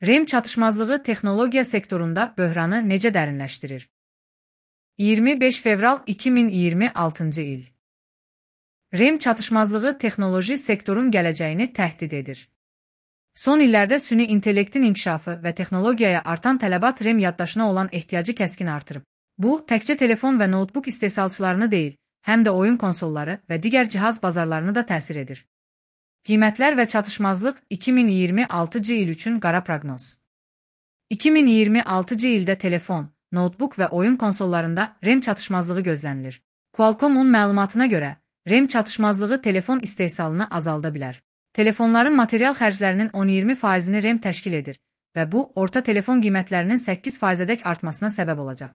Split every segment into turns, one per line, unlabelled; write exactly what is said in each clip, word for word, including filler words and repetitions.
RAM çatışmazlığı texnologiya sektorunda böhranı necə dərinləşdirir? iyirmi beş fevral iki min iyirmi altıncı il. RAM çatışmazlığı texnoloji sektorun gələcəyini təhdid edir. Son illərdə süni intellektin inkişafı və texnologiyaya artan tələbat RAM yaddaşına olan ehtiyacı kəskin artırıb. Bu, təkcə telefon və notebook istehsalçılarını deyil, həm də oyun konsolları və digər cihaz bazarlarını da təsir edir. Qiymətlər və çatışmazlıq iki min iyirmi altıncı il üçün qara proqnoz. iki min iyirmi altıncı ildə telefon, notebook və oyun konsollarında RAM çatışmazlığı gözlənilir. Qualcomm-un məlumatına görə, RAM çatışmazlığı telefon istehsalını azalda bilər. Telefonların material xərclərinin on iyirmi faizini RAM təşkil edir və bu, orta telefon qiymətlərinin səkkiz faizədək artmasına səbəb olacaq.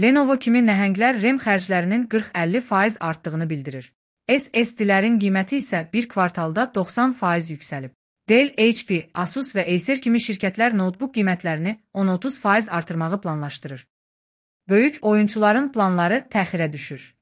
Lenovo kimi nəhənglər RAM xərclərinin qırx əlli faiz artdığını bildirir. S S D-lərin qiyməti isə bir kvartalda doxsan faiz yüksəlib. Dell, H P, Asus və Acer kimi şirkətlər notebook qiymətlərini on otuz faiz artırmağı planlaşdırır. Böyük oyunçuların planları təxirə düşür.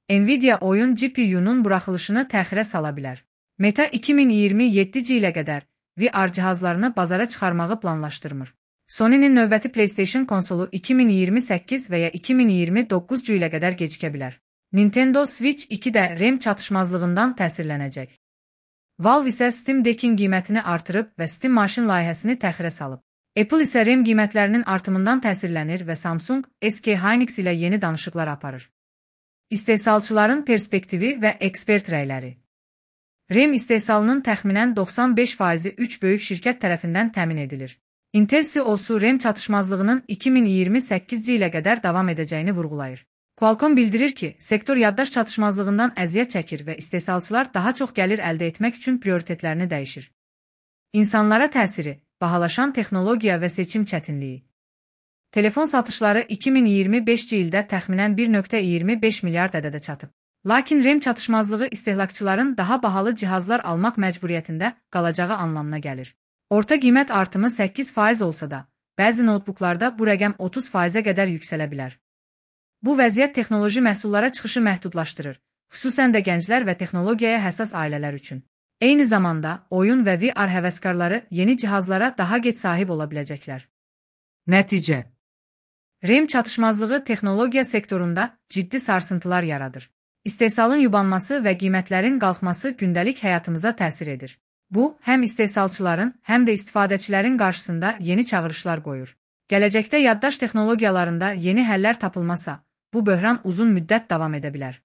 Nvidia oyun G P U-nun buraxılışını təxirə sala bilər. Meta iki min iyirmi yeddinci ilə qədər V R cihazlarını bazara çıxarmağı planlaşdırmır. Sony'nin növbəti PlayStation konsolu iki min iyirmi səkkiz və ya iki min iyirmi doqquzuncu ilə qədər gecikə bilər. Nintendo Switch iki də RAM çatışmazlığından təsirlənəcək. Valve isə Steam Deck'in qiymətini artırıb və Steam Machine layihəsini təxirə salıb. Apple isə RAM qiymətlərinin artımından təsirlənir və Samsung, S K Hynix ilə yeni danışıqlar aparır. İstehsalçıların perspektivi və ekspert rəyləri. RAM istehsalının təxminən doxsan beş faizi üç böyük şirkət tərəfindən təmin edilir. Intel C E O-su RAM çatışmazlığının iki min iyirmi səkkizinci ilə qədər davam edəcəyini vurğulayır. Qualcomm bildirir ki, sektor yaddaş çatışmazlığından əziyyət çəkir və istehsalçılar daha çox gəlir əldə etmək üçün prioritetlərini dəyişir. İnsanlara təsiri, bahalaşan texnologiya və seçim çətinliyi. Telefon satışları iki min iyirmi beşinci ildə təxminən bir nöqtə iyirmi beş milyard ədədə çatıb. Lakin RAM çatışmazlığı istehlakçıların daha bahalı cihazlar almaq məcburiyyətində qalacağı anlamına gəlir. Orta qiymət artımı səkkiz faiz olsa da, bəzi notebooklarda bu rəqəm otuz faizə qədər yüksələ bilər. Bu vəziyyət texnoloji məhsullara çıxışı məhdudlaşdırır, xüsusən də gənclər və texnologiyaya həssas ailələr üçün. Eyni zamanda, oyun və V R həvəskarları yeni cihazlara daha gec sahib ola biləcəklər. Nəticə: RAM çatışmazlığı texnologiya sektorunda ciddi sarsıntılar yaradır. İstehsalın yubanması və qiymətlərin qalxması gündəlik həyatımıza təsir edir. Bu, həm istehsalçıların, həm də istifadəçilərin qarşısında yeni çağırışlar qoyur. Gələcəkdə yaddaş texnologiyalarında yeni həllər tapılmasa, bu böhran uzun müddət davam edə bilər.